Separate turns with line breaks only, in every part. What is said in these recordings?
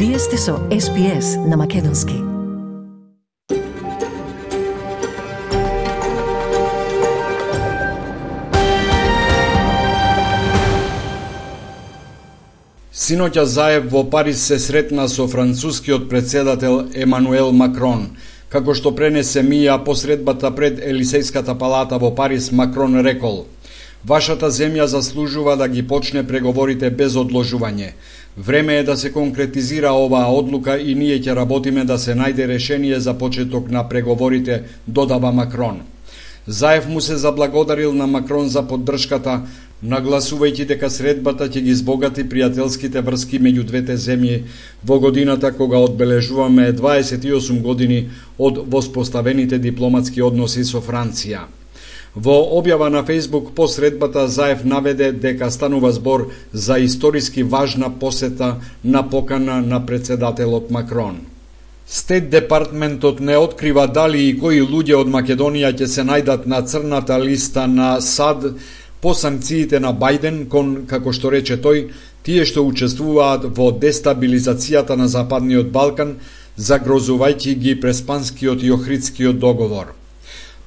Вие сте со SPS на Македонски.
Синоќа Заев во Париз се сретна со францускиот претседател Емануел Макрон. Како што пренесе МИА по средбата пред Елисејската палата во Париз, Макрон рекол: "Вашата земја заслужува да ги почне преговорите без одложување. Време е да се конкретизира оваа одлука и ние ќе работиме да се најде решение за почеток на преговорите", додава Макрон. Заев му се заблагодарил на Макрон за поддршката, нагласувајќи дека средбата ќе ги збогати пријателските врски меѓу двете земји во годината кога одбележуваме 28 години од воспоставените дипломатски односи со Франција. Во објава на Фејсбук по средбата Заев наведе дека станува збор за историски важна посета на покана на претседателот Макрон. Стейт департментот не открива дали и кои луѓе од Македонија ќе се најдат на црната листа на САД по санкциите на Бајден кон, како што рече тој, тие што учествуваат во дестабилизацијата на Западниот Балкан, загрозувајќи ги Преспанскиот и Охридскиот договор.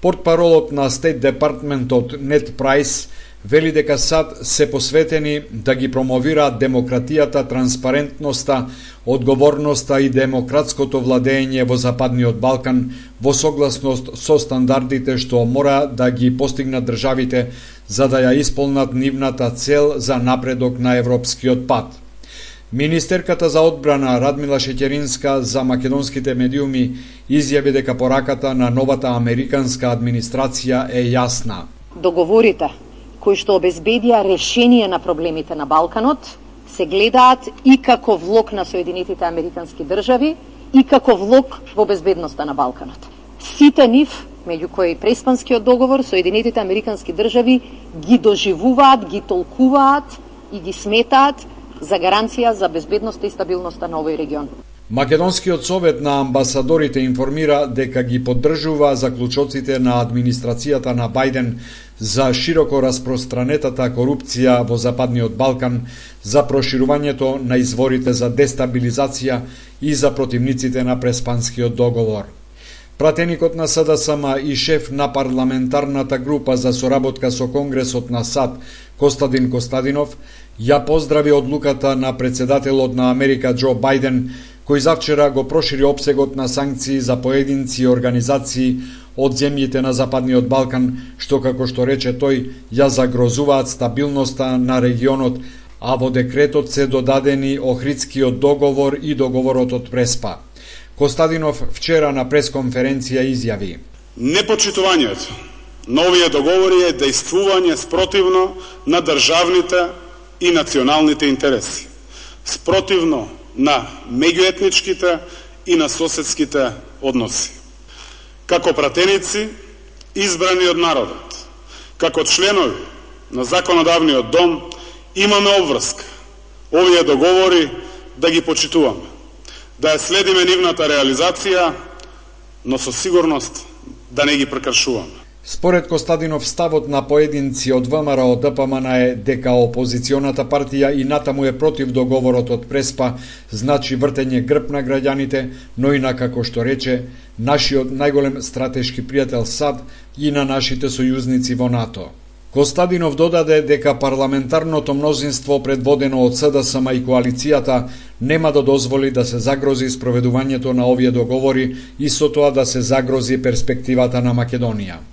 Портпаролот на Стейт департментот Нед Прайс вели дека САД се посветени да ги промовираат демократијата, транспарентноста, одговорноста и демократското владење во Западниот Балкан во согласност со стандардите што мора да ги постигнат државите за да ја исполнат нивната цел за напредок на европскиот пат. Министерката за одбрана Радмила Шеќеринска за македонските медиуми изјави дека пораката на новата американска администрација е јасна.
Договорите кои што обезбедија решение на проблемите на Балканот се гледаат и како влог на Соединетите Американски држави и како влог во безбедноста на Балканот. Сите нив, меѓу кои Преспанскиот договор, Соединетите Американски држави ги доживуваат, ги толкуваат и ги сметаат за гаранција за безбедноста и стабилноста на овој регион.
Македонскиот совет на амбасадорите информира дека ги поддржува заклучоците на администрацијата на Бајден за широко распространетата корупција во Западниот Балкан, за проширувањето на изворите за дестабилизација и за противниците на Преспанскиот договор. Пратеникот на СДСМ и шеф на парламентарната група за соработка со Конгресот на САД, Костадин Костадинов, ја поздрави одлуката на претседателот на Америка Џо Бајден, кој завчера го прошири опсегот на санкции за поединци и организации од земјите на Западниот Балкан, што, како што рече тој, ја загрозуваат стабилноста на регионот, а во декретот се додадени Охридскиот договор и договорот од Преспа. Костадинов вчера на пресконференција изјави:
"Непочитувањето на овие договори е дејствување спротивно на државните и националните интереси, спротивно на меѓуетничките и на соседските односи. Како пратеници, избрани од народот, како членови на законодавниот дом, имаме обврска овие договори да ги почитуваме, да ја следиме нивната реализација, но со сигурност да не ги прекршуваме."
Според Костадинов, ставот на поединци од ВМРО ДПМН е дека опозиционата партија и натаму е против договорот од Преспа, значи вртење грб на граѓаните, но и на, како што рече, нашиот најголем стратешки пријател САД и на нашите сојузници во НАТО. Костадинов додаде дека парламентарното мнозинство предводено од СДСМ и коалицијата нема да дозволи да се загрози спроведувањето на овие договори и со тоа да се загрози перспективата на Македонија.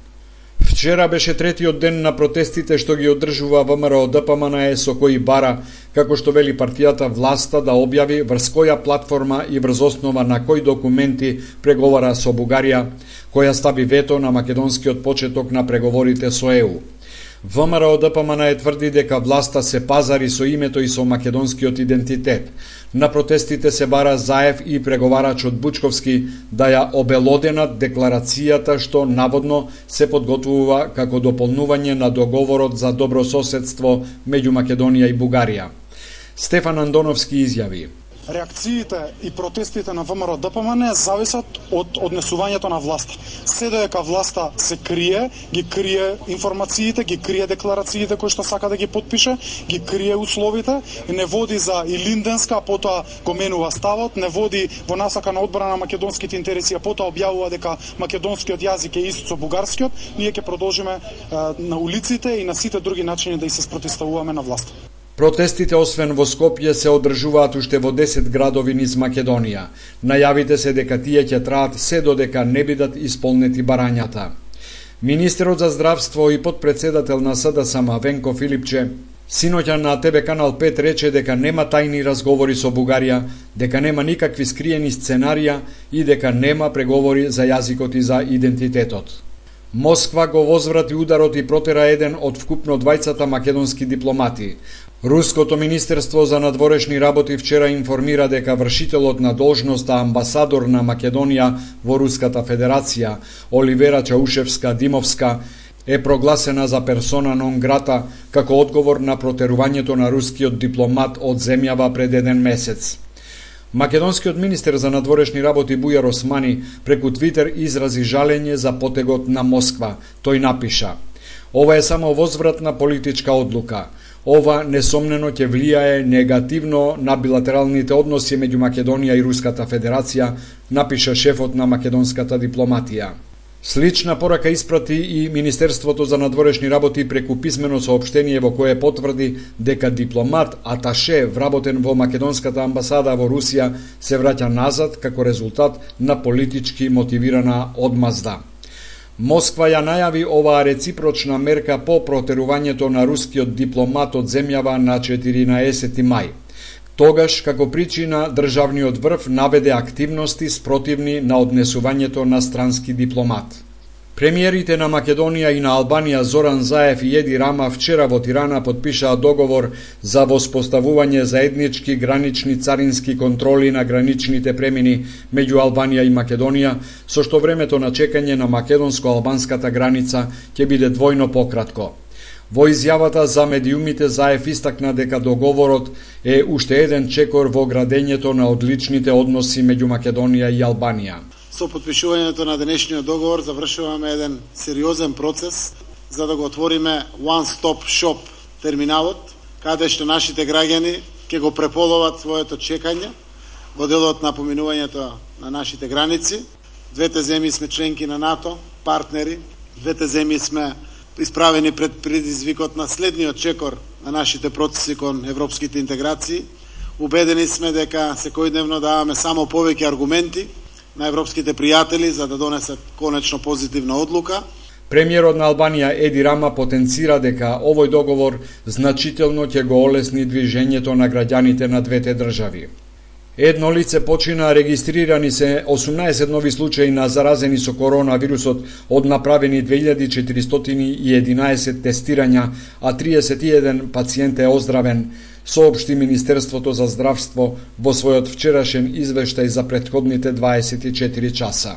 Вчера беше третиот ден на протестите што ги одржува ВМРО ДПМН со кои бара, како што вели партијата, власта да објави врз која платформа и врз основа на кои документи преговара со Бугарија, која стави вето на македонскиот почеток на преговорите со ЕУ. ВМРО ДПМН тврди дека власта се пазари со името и со македонскиот идентитет. На протестите се бара Заев и преговарачот Бучковски да ја обелоденат декларацијата што наводно се подготвува како дополнување на договорот за добро соседство меѓу Македонија и Бугарија. Стефан Андоновски изјави:
реакциите и протестите на ВМРО ДПМН зависат од однесувањето на власта. Се додека власта се крие, ги крие информациите, ги крие декларациите кои што сака да ги потпише, ги крие условите, не води за илинденска, а потоа го менува ставот, не води во насака на одбрана на македонските интереси, а потоа објавува дека македонскиот јазик е ист со бугарскиот, ние ќе продолжиме на улиците и на сите други начини да и се спротивставуваме на власта.
Протестите освен во Скопје се одржуваат уште во 10 градови низ Македонија. Најавите се дека тие ќе траат се додека не бидат исполнети барањата. Министерот за здравство и подпредседател на СДСМ Венко Филипче синоќа на ТВ Канал 5 рече дека нема тајни разговори со Бугарија, дека нема никакви скриени сценарија и дека нема преговори за јазикот и за идентитетот. Москва го возврати ударот и протера еден од вкупно 20 македонски дипломати. Руското министерство за надворешни работи вчера информира дека вршителот на должноста амбасадор на Македонија во Руската Федерација, Оливера Чаушевска-Димовска, е прогласена за персона нон грата како одговор на протерувањето на рускиот дипломат од земјава пред еден месец. Македонскиот министер за надворешни работи Бујар Османи преку Твитер изрази жалење за потегот на Москва. Тој напиша: "Ова е само возвратна политичка одлука. Ова несомнено ќе влијае негативно на билатералните односи меѓу Македонија и Руската Федерација", напиша шефот на македонската дипломатија. Слична порака испрати и Министерството за надворешни работи преку писмено соопштение во кое потврди дека дипломат аташе вработен во македонската амбасада во Русија се враќа назад како резултат на политички мотивирана одмазда. Москва ја најави оваа реципрочна мерка по протерувањето на рускиот дипломат од земјава на 14 мај. Тогаш, како причина, државниот врв наведе активности спротивни на однесувањето на странски дипломат. Премиерите на Македонија и на Албанија Зоран Заев и Еди Рама вчера во Тирана потпишаа договор за воспоставување заеднички гранични царински контроли на граничните премини меѓу Албанија и Македонија, со што времето на чекање на македонско-албанската граница ќе биде двојно пократко. Во изјавата за медиумите Заев истакна дека договорот е уште еден чекор во градењето на одличните односи меѓу Македонија и Албанија.
Со потпишувањето на денешниот договор завршуваме еден сериозен процес за да го отвориме one-stop shop терминалот, каде што нашите граѓани ќе го преполоват своето чекање во делот на поминувањето на нашите граници. Двете земји сме членки на НАТО, партнери, двете земји сме исправени пред предизвикот на следниот чекор на нашите процеси кон европските интеграции. Убедени сме дека секојдневно даваме само повеќе аргументи на европските пријатели за да донесат конечно позитивна одлука.
Премиерот на Албанија Еди Рама потенцира дека овој договор значително ќе го олесни движењето на граѓаните на двете држави. Едно лице почина, регистрирани се 18 нови случаи на заразени со коронавирусот од направени 2411 тестирања, а 31 пациент е оздравен, соопшти Министерството за здравство во својот вчерашен извештај за претходните 24 часа.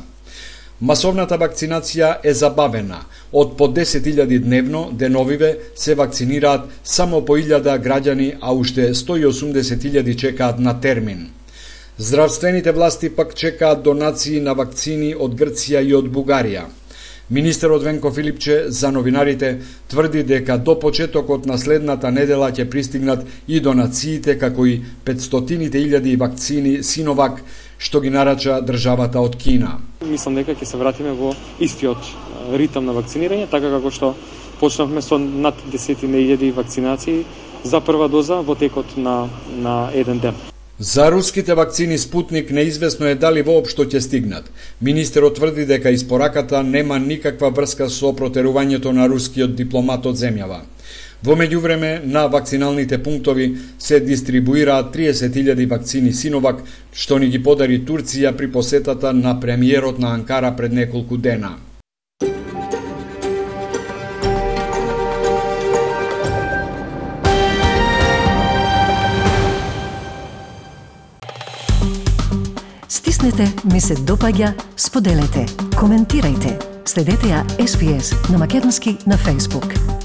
Масовната вакцинација е забавена. Од по 10.000 дневно, деновиве се вакцинираат само по 1000 граѓани, а уште 180.000 чекаат на термин. Здравствените власти пак чекаат донации на вакцини од Грција и од Бугарија. Министерот Венко Филипче за новинарите тврди дека до почетокот на следната недела ќе пристигнат и донациите како и 500.000 вакцини Синовак, што ги нарача државата од Кина.
Мислам дека ќе се вратиме во истиот ритам на вакцинирање, така како што почнавме со над 10.000 вакцинации за прва доза во текот на еден ден.
За руските вакцини Спутник неизвестно е дали воопшто ќе стигнат. Министерот тврди дека испораката нема никаква врска со протерувањето на рускиот дипломат од земјава. Во меѓувреме, на вакциналните пунктови се дистрибуираат 30.000 вакцини Синовак, што ни ги подари Турција при посетата на премиерот на Анкара пред неколку дена.
Стиснете, ми се допаѓа, споделете, коментирајте. Следете ја SPS на Македонски на Facebook.